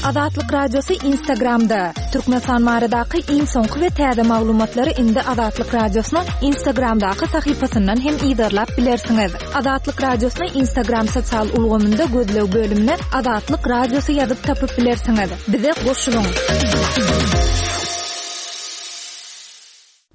Azatlyk Radiosy Instagramda! Türkmenistan baradaky iň soňky we täze maglumatlary indi Azatlyk Radiosynyň Instagramdaky sahypasyndan hem yzarlap bilersiňiz. Azatlyk Radiosyny Instagram sosial ulgamynda gözleg bölümine Azatlyk Radiosy ýazyp tapyp bilersiňiz. Bize goşulyň!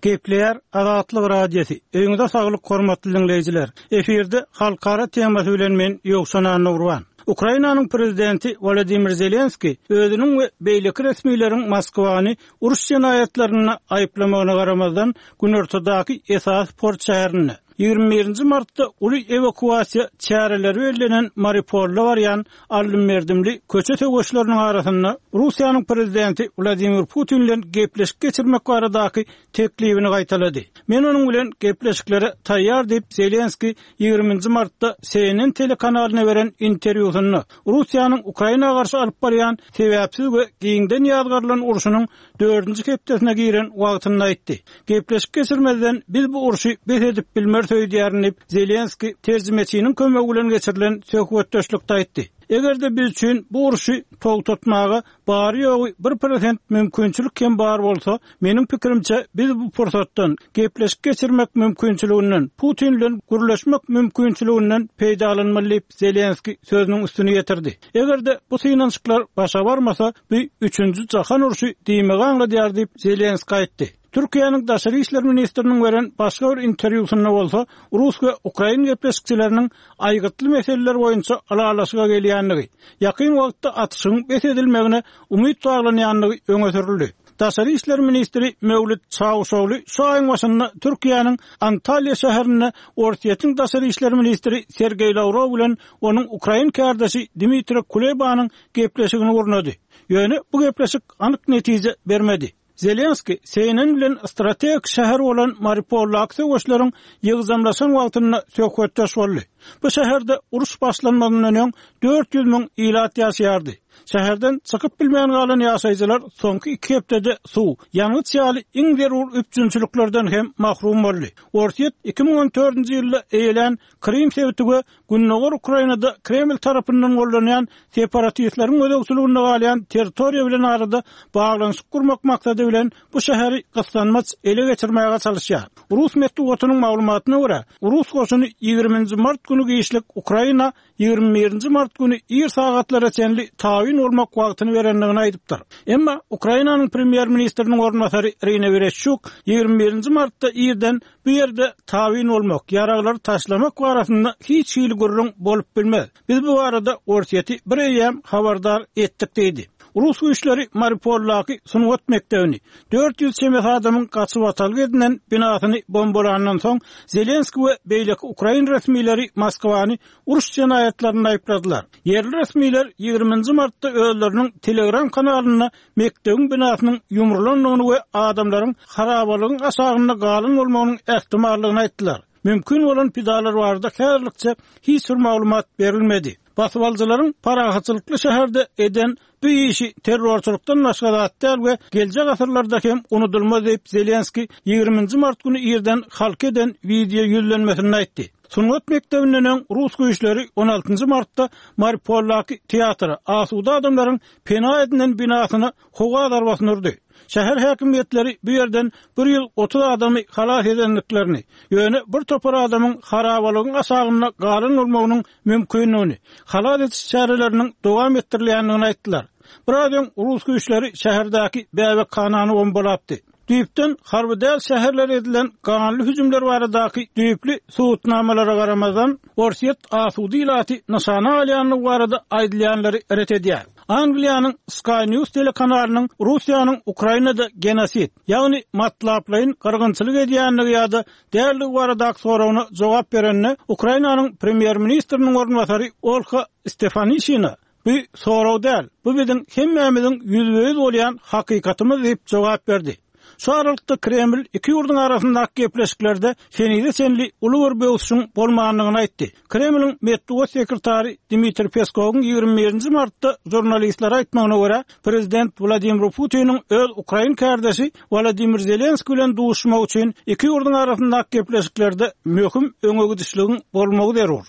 Gepleýär Azatlyk Radiosy. Öýüňize saglyk hormatly diňleýjiler. Efirde halkara temasy bilen men Ýowşan Annagurban. Ukrainanyň prezidenti Wolodymyr Zelenskiý özüniň we beýleki resmileriň Moskwany uruş jenaýatlarynda aýyplamagyna garamazdan, günortadaky esasy port şäherinde, 21-nji martda uly ewakuasiýa çäreleri bellenen Mariupolda barýan aldym-berdimli köçe söweşleriniň arasynda Russiýanyň prezidenti Wladimir Putin bilen gepleşik geçirmek baradaky teklibini gaýtalady. Men onuň bilen gepleşiklere taýýar diýip, Zelenskiý 20-nji martda CNN telekanalyna beren interwýusynda Russiýanyň Ukraina garşy alyp barýan sebäpsiz we giňden ýazgarylan urşunyň dördünji hepdesine giren wagtynda aýtdy. Gepleşik geçirmezden biz bu urşy bes edip bilmeris öýdýärin diýip, Zelenskiý terjimeçiniň kömegi bilen geçirilen söhbetdeşlikde aýtdy. Eger-de biz üçin bu urşy togtatmaga bary-ýogy bir prosent mümkinçilik hem bar bolsa, meniň pikirimçe, biz bu pursatdan, gepleşik geçirmek mümkinçiliginden, Putin bilen gürleşmek mümkinçiliginden peýdalanmaly diýip, Zelenskiý sözüniň üstüni ýetirdi. Eger-de bu synanyşyklar başa barmasa, bu üçünji jahan urşy diýmegi aňladýar diýip, Zelenskiý aýtdy. Türkiýäniň daşary işler ministriniň beren başga bir interwýusynda bolsa, rus we ukrain gepleşikçileriniň aýgytly meseleler boýunça ylalaşyga gelýändigi, ýakyn wagtda atyşygyň bes edilmegine umyt baglanýandygy öňe sürüldi. Daşary işler ministri Mewlüt Çawuşogly şu aýyň başynda Türkiýäniň Antalýa şäherinde Orsýetiň daşary işler ministri Sergeý Lawrow bilen onuň ukrain kärdeşi Dmitriý Kulebanyň gepleşigini gurnady. Ýöne bu gepleşik anyk netije bermedi. Zelenskiý CNN bilen strategik şäher bolan Mariupoldaky söweşleriň ýygjamlaşan wagtynda söhbetdeş boldy. Bu şäherde uruş başlanmazyndan öň 400 müň ilat ýaşaýardy. Şäherden çykyp bilmän galan ýaşaýjylar soňky iki hepdede suw, ýangyç ýaly iň zerur üpjünçiliklerden hem mahrum boldy. Orsýet 2014-nji ýylda eýelän Krym sebiti we Gündogar Ukrainada Kreml tarapyndan goldanýan separatistleriň gözegçiliginde galýan territoriýa bilen arada baglanyşyk gurmak maksady bilen bu şäheri gyssanmaç ele geçirmäge çalyşýar. Rus metbugatynyň maglumatyna görä, rus goşuny ýigriminji mart güni giçlik Ukraina 21-nji mart güni ir sagatlara çenli tabyn bolmak wagtyny berendigini aýdypdyr. Emma Ukrainanyň premýer-ministriniň orunbasary Irina Wereşçuk 21-nji martda irden bu ýerde tabyn bolmak, ýaraglary taşlamak barasynda hiç hili gürrüň bolup bilmez. Biz bu barada Orsýeti bir eýýäm habardar etdik diýdi. Rus güýçleri Mariupoldaky sungat mekdebini, 400 çemesi adamyň gaçybatalga edinen binasyny bombalandan soň, Zelenskiý we beýleki ukrain resmileri Moskwany uruş jenaýatlarynda aýypladylar. Ýerli resmiler 20-nji martda özleriniň Telegram kanalynda mekdebiň binasynyň ýumrulandygyny we adamlaryň harabalygyň aşagynda galan bolmagynyň ähtimallygyny aýtdylar. Mümkin bolan pidalar barada häzirlikçe hiç bir maglumat berilmedi. Basybalyjylaryň parahatçylykly şäherde eden bu işi terrorçylykdan başga zat däl we geljek asyrlarda hem unudylmaz diýip, Zelenskiý 20-nji mart güni irden halka eden wideo ýüzlenmesinde aýtdy. Sungat mekdebinden öň rus güýçleri 16-njy martda Mariupoldaky teatra, asuda adamlaryň pena edinen binasyna howa zarbasyny urdy. Şäher häkimiýetleri bu ýerden 130 adamy halas edendiklerini, ýöne bir topar adamyň harabalygyň aşagynda galan bolmagynyň mümkindigini, halas ediş çäreleriniň dowam etdirilýändigini aýtdylar. Biraz öň rus güýçleri şäherdäki bäbekhanany bombalapdy. Düýpden harby däl şäherlere edilen ganly hüjümler baradaky düýpli subutnamalara garamazdan, Orsýet asuda ilaty nyşana alýandygy barada aýdylýanlary ret edýär. Angliýanyň Sky News telekanalynyň Russiýanyň Ukrainada genosid, ýagny matlaplaýyn gyrgynçylyk edýändigi ýa-da däldigi baradaky soragyna jogap berende, Ukrainanyň premýer-ministriniň orunbasary Olha Stefanişina Bu sorag däl, bu biziň hemmämiziň ýüzbe-ýüz bolýan hakykatymyz diýip jogap berdi. Şu aralykda Kreml iki ýurduň arasyndaky gepleşiklerde henize çenli uly bir böwsüşiň bolmandygyny aýtdy. Kremliň metbugat sekretary Dmitriý Peskowyň 21-nji martda žurnalistlere aýtmagyna görä, prezident Wladimir Putiniň öz ukrain kärdeşi Wolodymyr Zelenskiý bilen duşuşmagy üçin iki ýurduň arasyndaky gepleşiklerde möhüm öňegidişligiň bolmagy zerur.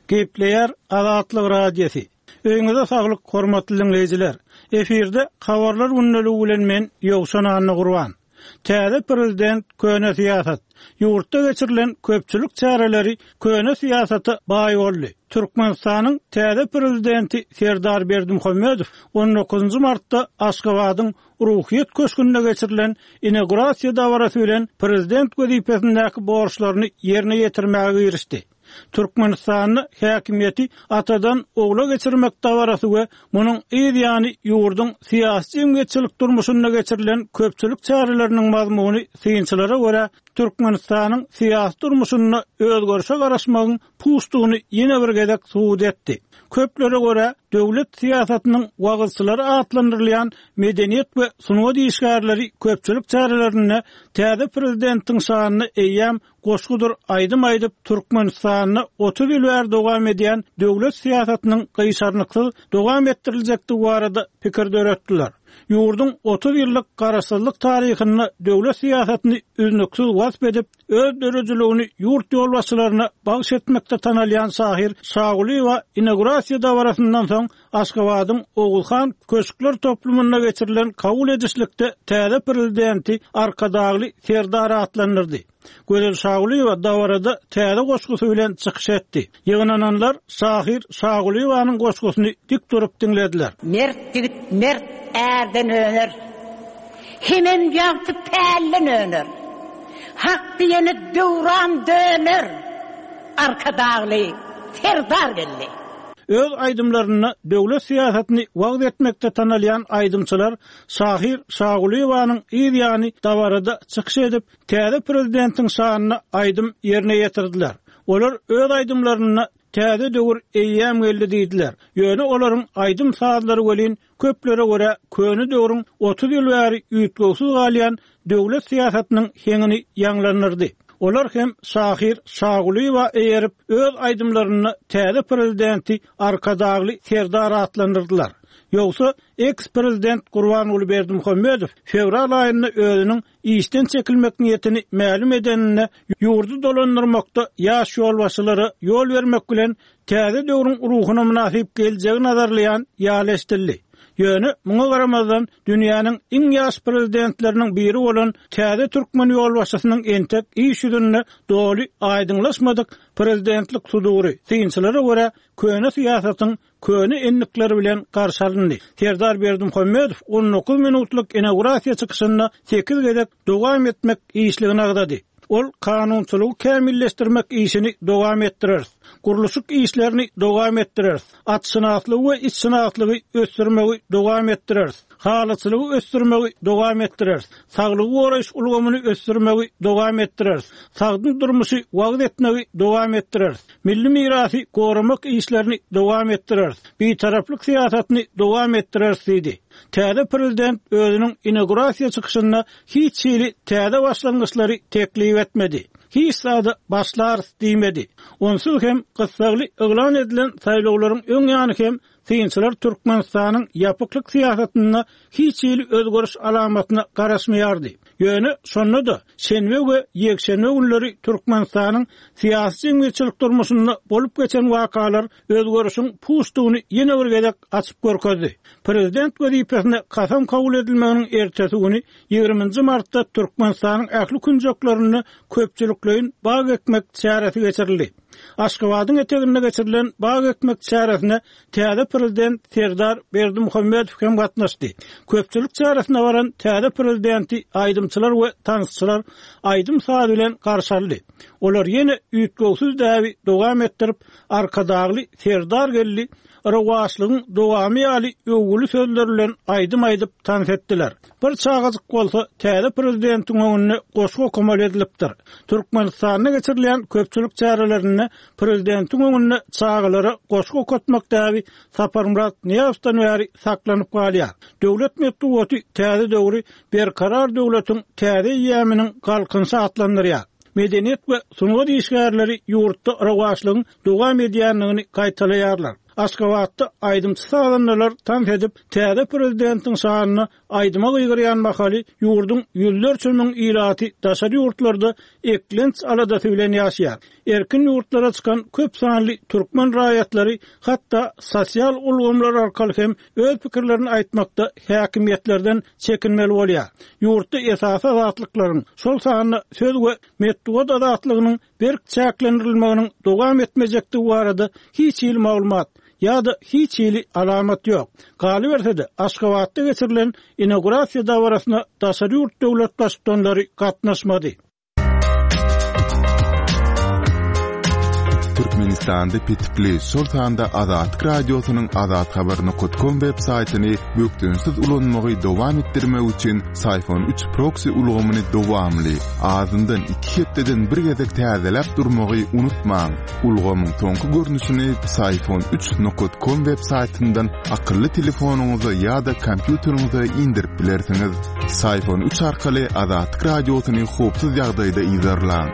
Gepleýär Azatlyk Radiosy. Öýüňize saglyk hormatly diňleýjiler. Efirde Habarlar gündeligi bilen men Ýowşan Annagurban. Täze prezident köne syýasat. Ýurtda geçirilen köpçülik çäreleri köne syýasata baý boldy. Türkmenistanyň täze prezidenti Serdar Berdimuhamedow on dokuzynjy martda Aşgabadyň Ruhyýet köşgünde geçirilen inaugurasiýa dabarasy bilen prezident wezipesindäki borçlaryny ýerine ýetirmäge girişdi. Türkmenistanda häkimiýeti atadan ogla geçirmek dabarasy we munuň yz ýany ýurduň syýasy-jemgyýetçilik durmuşynda geçirilen köpçülik çäreleriniň mazmuny synçylara görä Türkmenistanyň syýasy durmuşynda özgerişe garaşmagyň puçdugyny ýene bir gezek subut etdi. Köplere görä, döwlet syýasatynyň wagyzçylary atlandyrylýan medeniýet we sungat işgärleri köpçülik çärelerinde täze prezidentiň şanyna eýýäm goşgudyr aýdym aýdyp, Türkmenistanda 30 ýyl bäri dowam edýän döwlet syýasatynyň gyşarnyksyz dowam etdiriljekdigi barada pikir döretdiler. Ýurduň 30 ýyllyk garaşsyzlyk taryhynda döwlet syýasatyny üznüksiz wasp edip, öz döredijiligini ýurt ýolbaşçylaryna bagyş etmekde tanalýan şahyr Şagulyýewa inaugurasiýa dabarasyndan soň Aşgabadyň Oguzhan köşkler toplumynda geçirilen kabul edişlikde täze Prezidenti Arkadagly Serdar atlandyrdy. Gözel Şagulyýewa dabarada täze goşgusy bilen çykyş etdi. Ýygnananlar şahyr Şagulyýewanyň goşgusyny dik durup diňlediler. Mert ýigit mert ärden öner. Hemem ýagty pälden öner. Hak diýene döwran döner. Arkadagly Serdar geldi. Öz aýdymlarynda döwlet syýasatyny wagyz etmekde tanalýan aýdymçylar şahyr Şagulyýewanyň yz ýany dabarada çykyş edip, täze prezidentiň şanyna aýdym ýerine ýetirdiler. Olar öz aýdymlarynda täze döwür eýýäm geldi diýdiler. Ýöne olaryň aýdym-sazlary welin Köplere görä, köne döwrüň 30 ýyl bäri üýtgewsiz galýan döwlet syýasatynyň heňini ýaňlandyrdy. Olar hem şahyr Şagulyýewa eýerip, öz aýdymlarynda täze prezidenti Arkadagly Serdar atlandyrdylar. Ýogsa, eks-prezident Gurbanguly Berdimuhamedow fewral aýynda özüniň işden çekilmek niýetini mälim edeninde ýurdy dolandyrmakda ýaş ýolbaşçylara ýol bermek bilen täze döwrüň ruhuna mynasyp geljegi nazarlaýan ýaly eşidildi. Ýöne, muňa garamazdan, dünýäniň iň ýaş prezidentleriniň biri bolan täze türkmen ýolbaşçysynyň entek iş ýüzünde doly aýdyňlaşmadyk prezidentlik sudury, synçylara görä, köne syýasatyň köne endikleri bilen garşy alyndy. Serdar Berdimuhamedow 19 minutlyk inaugurasiýa çykyşynda sekiz gezek dowam etmek işligini agzady. Ol kanunçylygy kämilleşdirmek işini dowam etdireris. Gurluşyk işlerini dowam etdireris. Atşynaslygy we itşynaslygy ösdürmegi dowam etdireris. Halyçylygy ösdürmegi dowam etdireris. Saglygy goraýyş ulgamyny ösdürmegi dowam etdireris. Sagdyn durmuşy wagyz etmegi dowam etdireris. Milli mirasy goramak işlerini dowam etdireris. Bitaraplyk syýasatyny dowam etdireris diýdi. Täze prezident özüniň inaugurasiýa çykyşynda hiç hili täze başlangyçlary teklip etmedi. Hiç zada başlarys diýmedi. Onsuz hem gyssagly yglan edilen saýlawlaryň öň ýany hem synçylar Türkmenistanyň ýapyklyk syýasatynda hiç hili özgeriş alamatyna garaşmaýardy. Ýöne şonda-da şenbe we ýekşenbe günleri Türkmenistanyň syýasy-jemgyýetçilik durmuşynda bolup geçen wakalar özgerişiň puçdugyny ýene bir gezek açyp görkezdi. Prezident wezipesine kasam kabul edilmeginiň ertesi güni, ýigriminji martda Türkmenistanyň ähli künjeklerinde köpçülikleýin bag ekmek çäresi geçirildi. Aşgabadyň eteginde geçirilen bag ekmek çäresine täze Prezident Serdar Berdimuhamedow hem gatnaşdy. Köpçülik çäresine baran täze Prezidenti aýdymçylar we tansçylar aýdym-saz bilen garşy aldy. Olar ýene üýtgewsiz däbi dowam etdirip, Arkadagly Serdar geldi, rowaçlygyň dowamy ýaly öwgüli sözler bilen aýdym aýdyp tans etdiler. Bir çagajyk bolsa täze prezidentiň öňünde goşgy okamaly edilipdir. Türkmenistanda geçirilýän köpçülik çärelerinde prezidentiň öňünde çagalara goşgy okatmak däbi Saparmyrat Nyýazowdan bäri saklanyp galýar. Döwlet metbugaty täze döwri Berkarar döwletiň täze eýýamynyň Galkynyşy atlandyrýar. Medeniýet we sungat işgärleri ýurtda rowaçlygyň dowam edýändigini gaýtalaýarlar. Aşgabatda aýdymçy-sazandalar tans edip, täze prezidentiň şanyna aýdyma gygyrýan mahaly ýurduň ýüzlerçe müň ilaty daşary ýurtlarda eklenç aladasy bilen ýaşaýar. Erkin ýurtlara çykan köp sanly türkmen raýatlary hatda sosial ulgamlar arkaly hem öz pikirlerini aýtmakda häkimiýetlerden çekinmeli bolýar. Ýurtda esasy azatlyklaryň, şol sanda söz we metbugat azatlygynyň berk çäklendirilmeginiň dowam etmejekdigi barada hiç hili maglumat ýa-da hiç hili alamat ýok. Galyberse-de, Aşgabatda geçirilen inaugurasiýa dabarasyna daşary ýurt döwlet baştutanlary gatnaşmady. Türkmenistanda petikli, şol sanda Azatlyk Radiosynyň azathabar nokat kom web saýtyny bökdençsiz ulanmagy dowam etdirmek üçin Syfon üç proksi ulgamyny dowamly, azyndan iki hepdeden bir gezek täzeläp durmagy unutmaň. Ulgamyň soňky görnüşini Syfon üç nokat kom web saýtyndan akylly telefonyňyza ýa-da kompýuteriňize indirip bilersiňiz. Syfon üç arkaly Azatlyk Radiosyny howpsuz ýagdaýda yzarlaň.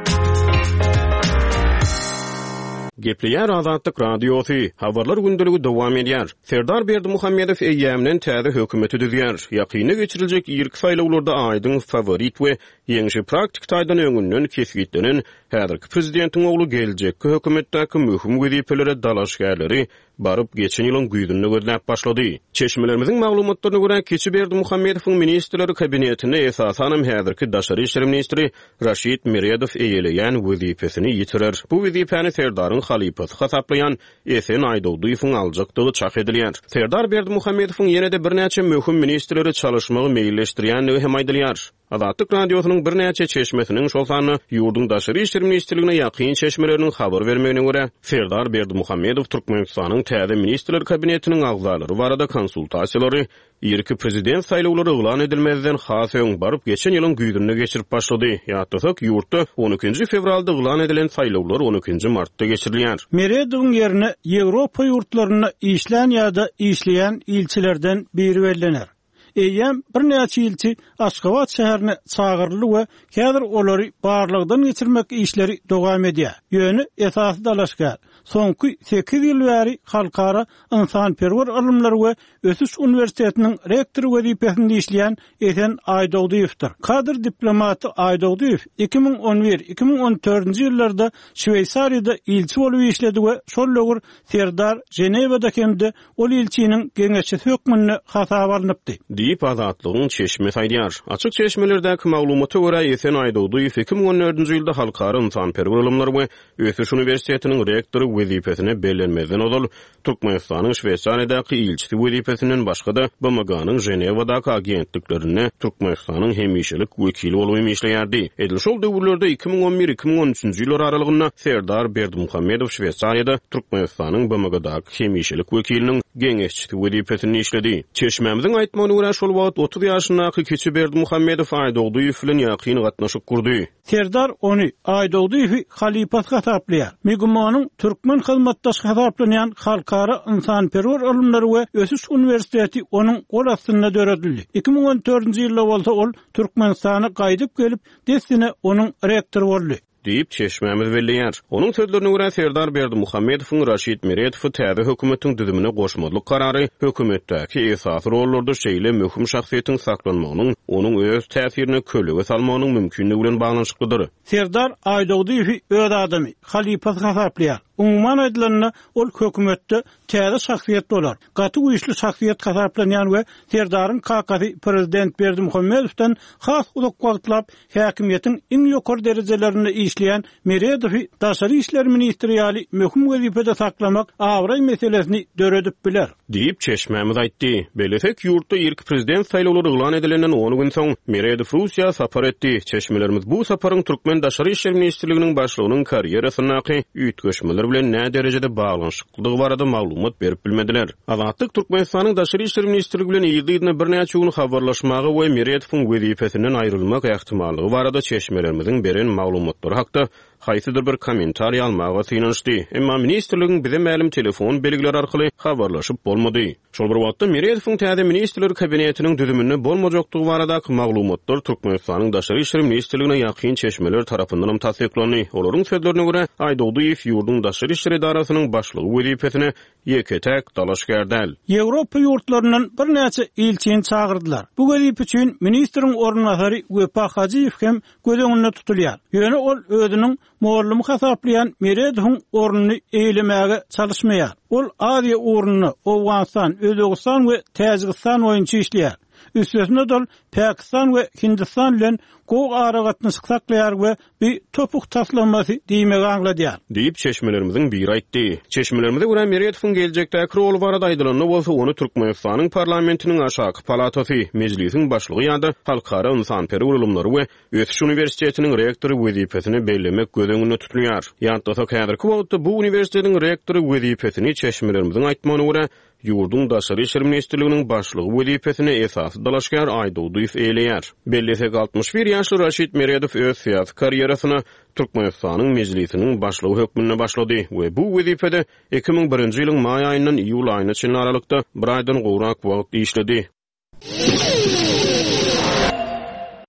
Gepleýär Azatlyk Radiosy, Habarlar gündeligi dowam edýär. Serdar Berdimuhamedow eýýämden täze hökümeti düzýär. Ýakynda geçiriljek irki saýlawlarda aýdyň faworit we ýeňşi praktiki taýdan öňünden kesgitlenen häzirki prezidentiň ogly geljekki hökümetdäki möhüm wezipelere dalaşgärleri baryp geçen ýylyň güýzünde gözläp başlady. Çeşmelerimiziň maglumatlaryna görä, kiçi Berdimuhamedowyň Ministrler Kabinetinde esasanam häzirki daşary işler ministri Raşid Meredow eýeleýän wezipesini ýitirer. Bu wezipäni Serdaryň halypasy hasaplaýan Esen Aýdogdyýewiň aljakdygy çak edilýär. Serdar Berdimuhamedowyň ýene-de birnäçe möhüm ministrleri çalyşmagy meýilleşdirýändigi hem aýdylýar. Azatlyk Radiosynyň birnäçe çeşmesiniň, şol sanda ýurduň Daşary işler ministrligine ýakyn çeşmeleriniň habar bermegine görä, Serdar Berdimuhamedow Türkmenistanyň täze Ministrler Kabinetiniň agzalary barada konsultasiýalary irki prezident saýlawlary yglan edilmezden has öň, baryp geçen ýylyň güýzünde geçirip başlady. Ýatlasak, ýurtda on ikinji fewralda yglan edilen saýlawlar on ikinji martda geçirilýär. Meredowyň ýerine Ýewropa ýurtlarynda işlän ýa-da işleýän ilçilerden biri bellener. Eýýäm birnäçe ilçi Aşgabat şäherine çagyryldy we häzir olary barlagdan geçirmek işleri dowam edýär. Ýöne esasy dalaşgär, soňky sekiz ýyl bäri Halkara ynsanperwer ylymlar we ösüş uniwersitetiniň rektory wezipesinde işleýän Esen Aýdogdyýewdir. Kadr diplomaty Aýdogdyýew 2011, 2014-nji ýyllarda Şweýsariýada ilçi bolup işledi we şol döwür Serdar Ženewada hem-de ol ilçiniň geňeşçisi hökmünde hasaba alnypdy. Diýip, Azatlygyň çeşmesi aýdýar. Açyk çeşmelerdäki maglumata görä, Esen Aýdogdyýew 2014-nji ýylda Halkara ynsanperwer ylymlar we ösüş uniwersitetiniň rektory wezipesine bellenmezden ozal, Türkmenistanyň Şweýsariýadaky ilçisi wezipesinden başga-da, BMG-niň Ženewadaky agentliklerinde Türkmenistanyň hemişelik wekili bolup hem işleýärdi. Edil şol döwürlerde, 2011, 2013-nji ýyllar aralygynda Serdar Berdimuhamedow Şweýsariýada Türkmenistanyň BMG-daky hemişelik wekiliniň geňeşçisi wezipesinde işledi. Çeşmämiziň aýtmagyna görä, şol wagt 30 ýaşyndaky kiçi Berdimuhamedow Aýdogdyýew bilen ýakyn gatnaşyk gurdy. Serdar ony, Aýdogdyýewi halypasy hasaplaýar. MGIMO-nyň türkmen hyzmatdaşy hasaplanýan Halkara ynsanperwer ylymlary we ösüş uniwersiteti onuň gol astynda döredildi. 2014-nji ýylda bolsa ol Türkmenistana gaýdyp gelip, dessine onuň rektory boldy. Diýip, çeşmämiz belleýär. Onuň sözlerine görä, Serdar Berdimuhamedowyň Raşid Meredowy täze hökümetiň düzümine goşmazlyk karary hökümetdäki esasy rollarda şeýle möhüm şahsyýetiň saklanmagynyň onuň öz täsirine kölege salmagynyň mümkinligi bilen baglanyşyklydyr. Serdar Aýdogdyýewi öz adamy, halypasy hasaplaýar. Umuman aýdylanda, ol hökümetde täze şahsyýet bolar. Gaty güýçli şahsyýet hasaplanýan we Serdaryň kakasy prezident Berdimuhamedowdan has uzak wagtlap häkimiýetiň iň ýokary derejelerinde işleýän Meredowy daşary işler ministri ýaly möhüm wezipede saklamak abraý meselesini döredip biler. Diýip, çeşmämiz aýtdy. Bellesek, ýurtda irki prezident saýlawlary yglan edilenden on gün soň, Meredow Russiýa sapar etdi. Çeşmelerimiz bu saparyň türkmen Daşary işler ministrliginiň başlygynyň karýerasyndaky üýtgeşmeler bilen näderejede baglanyşyklydygy barada maglumat berip bilmediler. Azatlyk Türkmenistanyň Daşary işler ministrligi bilen yzly-yzyna birnäçe gün habarlaşmaga we Meredowyň wezipesinden aýrylmak ähtimallygy barada çeşmelerimiziň beren maglumatlary hakda haýsydyr bir kommentariý almaga synanyşdy. Emma ministrligiň bize mälim telefon belgileri arkaly habarlaşyp bolmady. Şol bir wagtda, Meredowyň täze Ministrler Kabinetiniň düzüminde bolmajakdygy baradaky maglumatlar Türkmenistanyň Daşary işler ministrligine ýakyn çeşmeler tarapyndanam tassyklandy. Olaryň sözlerine görä, Aýdogdyýew ýurduň daşary işler edarasynyň başlygy wezipesine ýeke-täk dalaşgär däl. Ýewropa ýurtlaryndan birnäçe ilçini çagyrdylar. Bu wezipe üçin ministriň orunbasary Wepa Hajyýew hem göz öňünde tutulýar. Ýöne ol özüniň. mugallymy hasaplaýan Meredowyň ornuny eýelemäge çalyşmaýar. Ol Aziýa ugrunda, Owganystan, Özbegistan we Täjigistan boýunça işleýär. Üstesine-de ol Pakistan we Hindistan bilen gowy aragatnaşyk saklaýar we bu topuk taslamasy diýmegi aňladýar. Diýip, çeşmelerimiziň biri aýtdy. Çeşmelerimize görä, Meredowyň geljekdäki roly barada aýdylanda bolsa, ony Türkmenistanyň parlamentiniň aşaky palatasy, Mejlisiň başlygy ýa-da Halkara ynsanperwer ylymlary we Ösüş uniwersitetiniň rektory wezipesine bellemek göz öňünde tutulýar. Ýatlasak, häzirki wagtda bu uniwersitetiň rektory wezipesini, çeşmelerimiziň aýtmagyna görä, ýurduň Daşary işler ministrliginiň başlygy wezipesine esasy dalaşgär Aýdogdyýew eýeleýär. Bellesek, 61 ýaşly Raşid Meredow öz syýasy karýerasyna Türkmenistanyň Mejlisiniň başlygy hökmünde başlady we bu wezipede 2001-nji ýylyň maý aýyndan iýul aýyna çenli aralykda bir aýdan gowrak wagt işledi.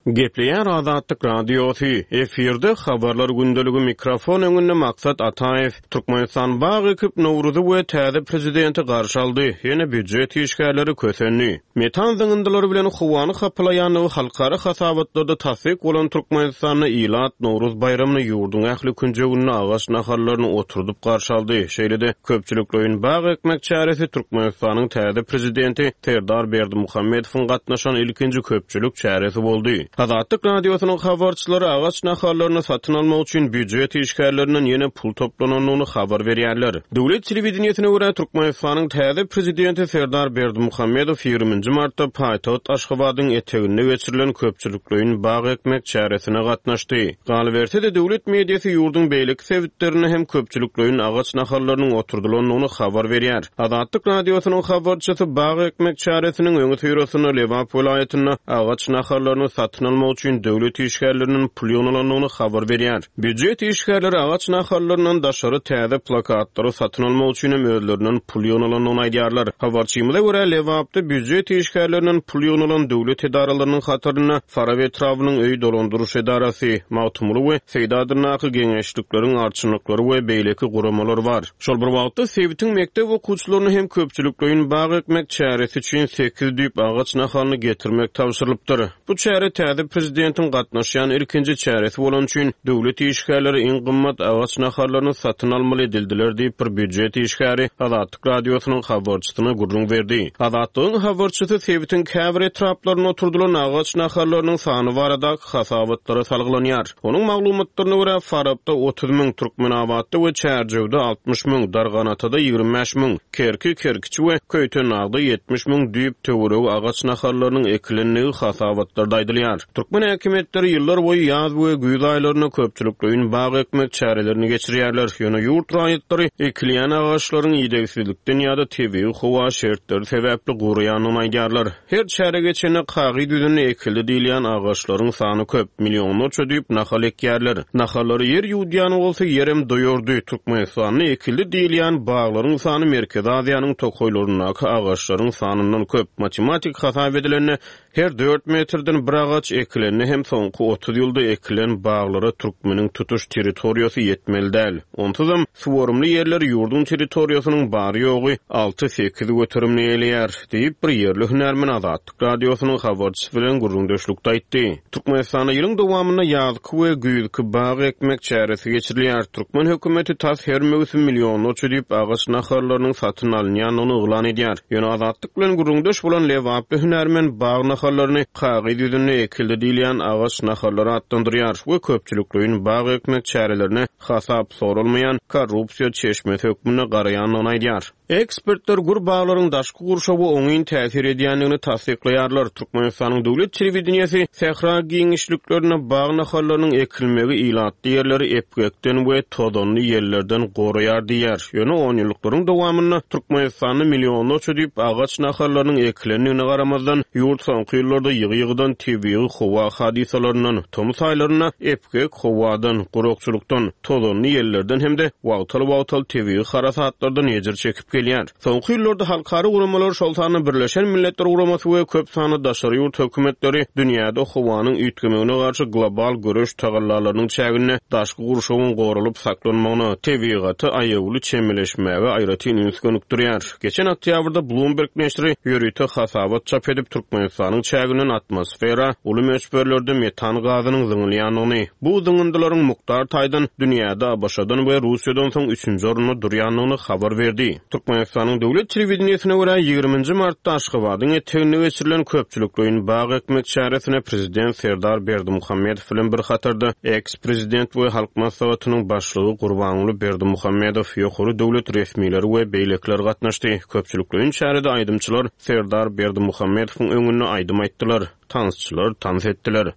Gepleýär Azatlyk Radiosy, efirde Habarlar gündeligi mikrofon öňünde Maksat Ataýew. Türkmenistan bag ekip Nowruzy we täze prezidenti garşy aldy, ýene býujet işgärleri kösendi. Metan zyňyndylary bilen howany hapalaýandygy halkara hasabatlarda tassyk bolan Türkmenistanda ilat Nowruz baýramyny ýurduň ähli künjeginde agaç nahallaryny oturdyp garşy aldy. Şeýle-de, köpçülikleýin bag ekmek çäresi Türkmenistanyň täze Prezidenti Serdar Berdimuhamedowyň gatnaşan ilkinji köpçülik çäresi boldy. Azatlyk Radiosynyň habarçylary agaç nahallaryny satyn almak üçin býujet işgärlerinden ýene pul toplanandygyny habar berýärler. Döwlet telewideniýesine görä, Türkmenistanyň täze Prezidenti Serdar Berdimuhamedow ýigriminji martda paýtagt Aşgabadyň eteginde geçirilen köpçülikleýin bag ekmek çäresine gatnaşdy. Galyberse-de, döwlet mediasy ýurduň beýleki sebitlerinde hem köpçülikleýin agaç nahallarynyň oturdylandygyny habar berýär. Azatlyk Radiosynyň habarçysy bag ekmek çäresiniň öňüsyrasynda Lebap welaýatynda agaç nahallaryny satyn almak üçin döwlet işgärlerinden pul ýygnalandygyny habar berýär. Býujet işgärleri agaç nahallaryndan daşary täze plakatlary satyn almak üçin hem özlerinden pul ýygnalandygyny aýdýarlar. Habarçymyza görä, Lebapda býujet işgärlerinden pul ýygnalan döwlet edaralarynyň hatarynda Farap etrabynyň öý dolandyryş edarasy, Magtymguly we Seýdi adyndaky geňeşlikleriň arçynlyklary we beýleki guramalar bar. Şol bir wagtda, sebitiň mekdep okuwçylaryna hem köpçülikleýin bag ekmek çäresi üçin sekiz düýp agaç nahalyny getirmek tabşyrylypdyr. Bu çäre täze prezidentiň gatnaşýan ilkinji çäresi bolany üçin, döwlet işgärleri iň gymmat agaç nahallaryny satyn almaly edildiler diýip, bir býujet işgäri Azatlyk Radiosynyň habarçysyna gürrüň berdi. Azatlygyň habarçysy sebitiň käbir etraplarynda oturdylan agaç nahallarynyň sany baradaky hasabatlara salgylanýar. Onuň maglumatlaryna görä, Farapda 30 müň, Türkmenabatda we Çärjewde 60 müň, Darganatada 25 müň, Kerki, Kerkiçi we Köýtendagda 70 müň düýp töweregi agaç nahallarynyň ekilendigi hasabatlarda aýdylýar. Türkmen häkimiýetleri ýyllar boýy ýaz we güýz aýlarynda köpçülikleýin bag ekmek çärelerini geçirýärler. Ýöne ýurt raýatlary ekilýän agaçlaryň idegsizlikden ýa-da tebigy howa şertleri sebäpli guraýandygyny aýdýarlar. Her çäre geçende kagyz ýüzünde ekildi diýilýän agaçlaryň sany köp, millionlarça düýp nahal ekýärler. Nahallary ýer ýuwudýan bolsa ýerem doýardy. Türkmenistanda ekildi diýilýän baglaryň sany Merkezi Aziýanyň tokaýlaryndaky agaçlaryň sanyndan köp. Matematik hasap edilende, her dört metrden bir agaç ekilende hem soňky 30 ýylda ekilen baglara türkmeniň tutuş territoriýasy ýetmeli däl. Onsuzam, suwarymly ýerler ýurduň territoriýasynyň bary-ýogy alty-sekiz göterimini eýeleýär. Diýip, bir ýerli hünärmen Azatlyk Radiosynyň habarçysy bilen gürrüňdeşlikde aýtdy. Türkmenistanda ýylyň dowamynda ýazky we güýzki bag ekmek çäresi geçirilýär. Türkmen hökümeti tas her möwsüm millionlarça düýp agaç nahallarynyň satyn alynýandygyny yglan edýär. Ýöne Azatlyk bilen gürrüňdeş bolan lebaply hünärmen bag nahallaryny kagyz ýüzünde ekildi diýilýän agaç nahallary atlandyrýar we köpçülikleýin bag ekmek çärelerine hasap soralmaýan korrupsiýa çeşmesi hökmünde garaýandygyny aýdýar. Ekspertler gür baglaryň daşky gurşawa oňyn täsir edýändigini tassyklaýarlar. Türkmenistanyň döwlet telewideniýesi sähra giňişliklerinde bag nahallarynyň ekilmegi ilatly ýerleri epgekden we tozanly ýellerden goraýar diýýär. Ýöne onýyllyklaryň dowamynda Türkmenistanda millionlarça düýp agaç nahallarynyň ekilendigine garamazdan, ýurt soňky ýyllarda ýygy-ýygydan tebigy howa hadysalaryndan, tomus aýlarynda epgek howadan, gurakçylykdan, tozanly ýellerden hem-de wagtal-wagtal tebigy harasatlardan ejir çekip gelýär. Soňky ýyllarda halkara guramalar, şol sanda Birleşen Milletler Guramasy we köp sanly daşary ýurt hökümetleri dünýäde howanyň üýtgemegine garşy global göreş tagallalarynyň çäginde daşky gurşawyň goralyp saklanmagyna, tebigata aýawly çemeleşmäge aýratyn üns gönükdirýär. Geçen oktýabrda Bloomberg neşiri ýörite hasabat çap edip, Türkmenistanyň çäginden atmosfera uly. uly möçberlerde metan gazynyň zyňylýandygyny, bu zyňyndylaryň mukdar taýdan dünýäde ABŞ-dan we Russiýadan soň üçünji orunda durýandygyny habar berdi. Türkmenistanyň döwlet telewideniýesine görä, ýigriminji martda Aşgabadyň eteginde geçirilen köpçülikleýin bag ekmek çäresine prezident Serdar Berdimuhamedow bilen bir hatarda eks-prezident we Halk Maslahatynyň Başlygy Gurbanguly Berdimuhamedow, ýokary döwlet resmileri we beýlekiler gatnaşdy. Köpçülikleýin çärede aýdymçylar Serdar Berdimuhamedowyň öňünde aýdym aýtdylar, tansçylar tans etdiler.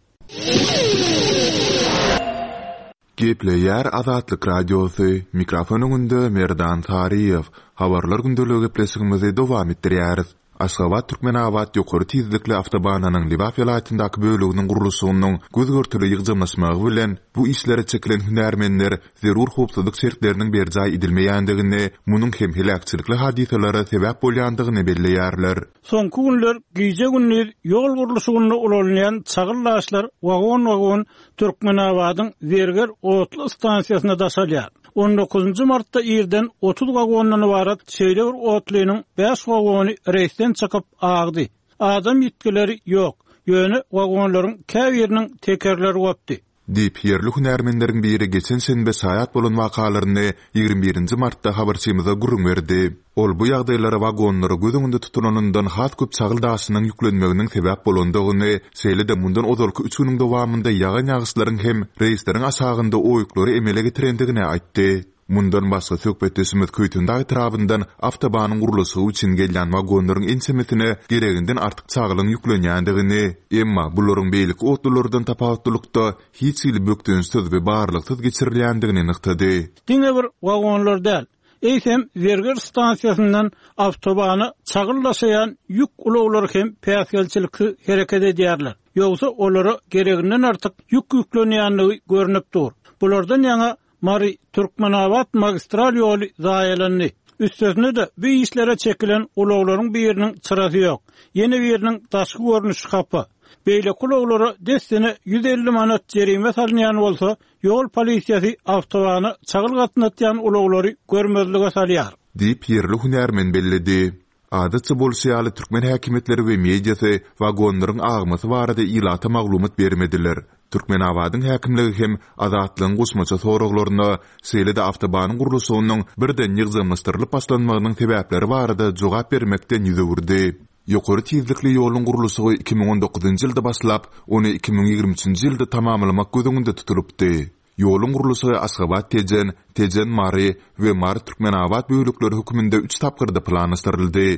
Gepleýär Azatlyk Radiosy, mikrofon öňünde Merdan Saryýew. Habarlar gündeligi gepleşigimizi dowam etdirýäris. Aşgabat-Türkmenabat ýokary tizlikli awtobanynyň Lebap welaýatyndaky böleginiň gurluşygynyň göz-görtele ýygjamlaşmagy bilen, bu işlere çekilen hünärmenler zerur howpsuzlyk şertleriniň berjaý edilmeýändigini, munuň hem heläkçilikli hadysalara sebäp bolýandygyny belleýärler. Soňky günler gije-gündiz ýol gurluşygynda ulanylýan çagyl daşlar wagon-wagon Türkmenabadyň Zerger otly stansiýasyna daşalýar. On dokuzynjy martda irden 30 wagondan ybarat şeýle bir otlynyň bäş wagony reýsden çykyp, agdy. Adam ýitgileri ýok, ýöne wagonlaryň käbiriniň tekerleri gopdy. Diýip, ýerli hünärmenleriň biri geçen şenbe şaýat bolan wakalaryny 21 nji martda habarçymyza gürrüň berdi. Ol bu ýagdaýlara wagonlara göz öňünde tutulanyndan has köp çagyl daşynyň ýüklenmeginiň sebäp bolandygyny, şeýle-de mundan ozalky üç günüň dowamynda ýagan ýagyşlaryň hem reýsleriň aşagynda oýuklary emele getirendigini aýtdy. Mundan başga, söhbetdeşimiz Köýtendag etrabyndan awtobanyň gurluşygy üçin gelýän wagonlaryň ençemesine gereginden artyk çagylyň ýüklenýändigini, emma bularyň beýleki otlulardan tapawutlylykda hiç hili bökdençsiz we barlagsyz geçirilýändigini nygtady. Diňe bir wagonlar däl, eýsem Zerger stansiýasyndan awtobana çagyl daşaýan ýük ulaglary hem päsgelçiliksiz hereket edýärler. Ýogsa olara gereginden artyk ýük ýüklenýändigi görnüp dur. Bulardan ýaňa Mary, Türkmenabat magistral ýoly zaýalandy. Üstesine-de, bu işlere çekilen ulaglaryň biriniň çyrasy ýok, ýene biriniň daşky görnüşi hapa. Beýleki ulaglara dessine 150 manat jerime salynýan bolsa, ýol polisiýasy awtobana çagyl gatnatýan ulaglary görmezlige salýar. Diýip, ýerli hünärmen belledi. Adatça bolşy ýaly, türkmen häkimiýetleri we mediasy wagonlaryň agmasy barada ilata maglumat bermediler. Türkmenabadyň häkimligi hem Azatlygyň goşmaça soraglaryna, şeýle-de awtobanyň gurluşygynyň birden ýygjamlaşdyrylyp başlanmagynyň sebäpleri barada jogap bermekden ýüz öwürdi. Ýokary tizlikli ýoluň gurluşygy 2019-njy ýylda başlap, ony 2023-nji ýylda tamamlamak göz öňünde tutulypdy. Ýoluň gurluşygy Aşgabat-Tejen, Tejen-Mary we Mary-Türkmenabat bölekleri hökmünde üç tapgyrda planlaşdyryldy.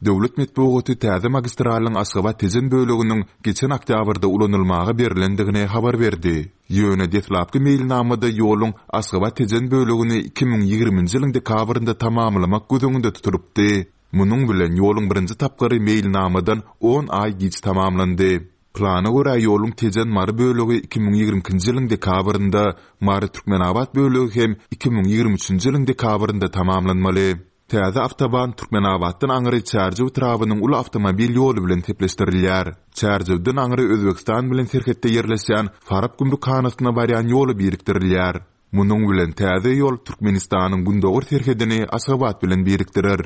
Döwlet metbugaty täze magistralyň Aşgabat-Tejen böleginiň geçen oktýabrda ulanylmaga berlendigini habar berdi. Ýöne deslapky meýilnamada ýoluň Aşgabat-Tejen bölegini 2020-nji ýylyň dekabrynda tamamlamak göz öňünde tutulypdy. Munuň bilen ýoluň birinji tapgyry meýilnamadan on aý giç tamamlandy. Plana görä, ýoluň Tejen-Mary bölegi 2022-nji ýylyň dekabrynda, Mary-Türkmenabat bölegi hem 2023-nji ýylyň dekabrynda tamamlanmaly. Täze awtoban Türkmenabatdan aňry Çärjew etrabynyň uly awtomobil ýoly bilen sepleşdirilýär. Çärjewden aňry Özbegistan bilen serhetde ýerleşýän Farap gümrükhanasyna barýan ýola birikdirilýär. Munuň bilen täze ýol Türkmenistanyň gündogar serhedini Aşgabat bilen birikdirer.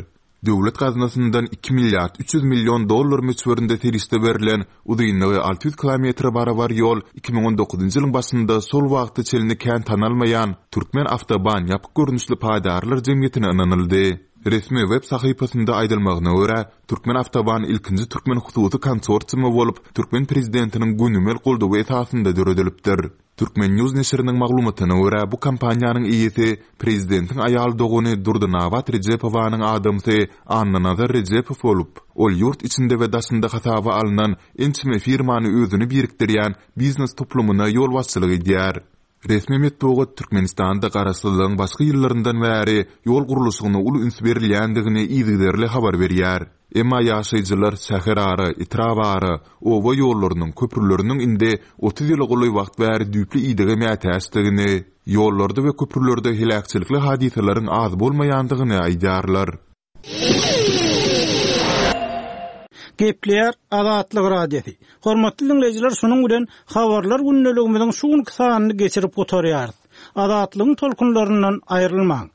Döwlet gaznasyndan iki milliard 300 million dollar möçberinde serişde berlen, uzynlygy 600 kilometre barabar ýol 2019-njy ýylyň başynda şol wagta çenli kän tanalmaýan Türkmen awtoban ýapyk görnüşli paýdarlar jemgyýetine ynanyldy. Resmi web sahypasynda aýdylmagyna görä, Türkmen awtoban ilkinji türkmen hususy konsorsiumy bolup, türkmen prezidentiniň gönümel goldawy esasynda döredilipdir. Turkmen. News neşiriniň maglumatyna görä, bu kompaniýanyň eýesi prezidentiň aýal dogany Durdynabat Rejepowanyň adamsy Annanazar Rejepow bolup, ol ýurt içinde we daşynda hasaba alnan ençeme firmany özüne birikdirýän biznes toplumyna ýolbaşçylyk edýär. Resmi metbugat Türkmenistanda garaşsyzlygyň başky ýyllaryndan bäri ýol gurluşygyna uly üns berilýändigini yzygiderli habar berýär. Emma ýaşaýjylar şäherara, etrabara, oba ýollarynyň, köprüleriniň indi 30 ýyla golaý wagt bäri düýpli idege mätäçdigini, ýollarda we köprülerde heläkçilikli hadysalaryň az bolmaýandygyny aýdýarlar. Gepleýär Azatlyk Radiosy. Hormatly diňleýjiler, şunuň bilen Habarlar gündeligimiziň şu günki sanyny geçirip gutarýarys. Azatlygyň tolkunlaryndan aýrylmaň!